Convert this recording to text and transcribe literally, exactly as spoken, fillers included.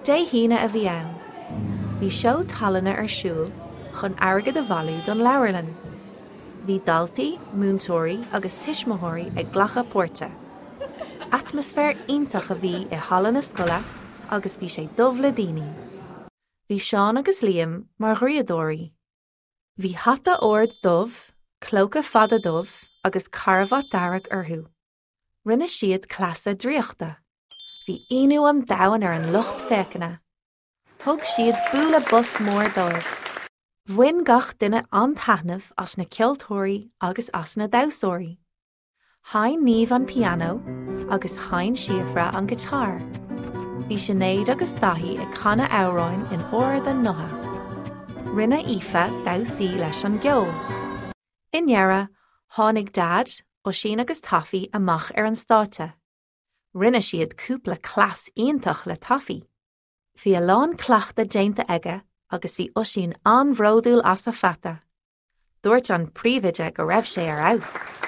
Dé hAoine a bhí ann. Bhí seó tallainne ar siúl chun airgead a bhailiú don leabharlann. Bhí daltaí, múinteoirí agus tuismitheoirí ag glacadh páirte. Atmaisféar iontach a bhí i halla na scoile agus bhí sé dubh le daoine. Bhí Seán agus Liam mar dhraíodóirí. Bhí hata ard dubh, clóca fada dubh agus carbhat dearg orthu. Rinne siad cleasa draíochta. Bhí ionadh an domhain ar an lucht féachana. Thug siad bualadh bos mór dóibh. Bhain gach duine an-taitneamh as na ceoltóirí agus as na damhsóirí. Sheinn Niamh an pianó agus sheinn Síofra an giotár. Bhí Sinéad agus Daithí ag canadh amhráin in ard a ngutha. Rinne Aoife damhsaí leis an gceol. I ndeireadh, tháinig Dad, Oisín agus Taffy amach ar an stáitse. Rinne siad cúpla cleas iontach le Taffy. Bhí a lán cleachtadh déanta aige agus bhí Oisín an-bhródúil as a pheata. Dúirt an príomhoide go raibh sé ar fheabhas.